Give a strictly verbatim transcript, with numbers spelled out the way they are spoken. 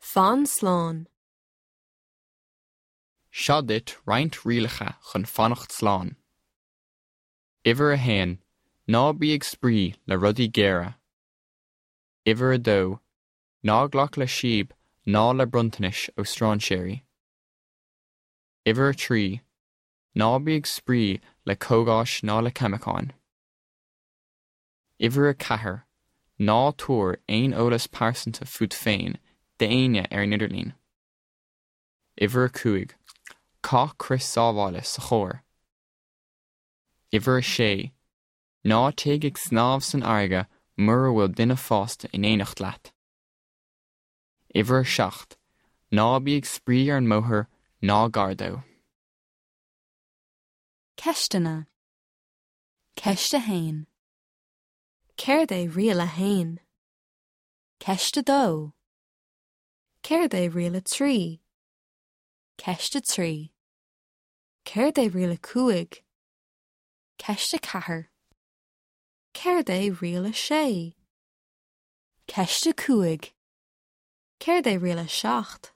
Fan slán. Seo duit roinnt rialacha chun fanacht slán. Uimhir a haon, ná bí ag spraoi le rudaí géara. Uimhir a dó, ná glac le síob ná le bronntanais ó strainséirí. Uimhir a trí, ná bí ag spraoi le cógais ná le ceimiceáin. Uimhir a ceathair, ná tabhair aon eolas pearsanta fút féin d'éinne ar an idirlíon. Uimhir a cúig, caith crios sábhála sa charr. Uimhir a sé, ná téigh ag snámh san fharraige mura bhfuil duine fásta in éineacht leat. Uimhir a seacht, ná bí ag spraoi ar an mbóthar ná gar dó. Ceisteanna. Ceist a haon. Céard é riail a haon? Ceist a dó. Céard é riail a trí? Ceist a trí. Céard é riail a cúig? Ceist a ceathair. Céard é riail a sé? Ceist a cúig. Céard é riail a seacht?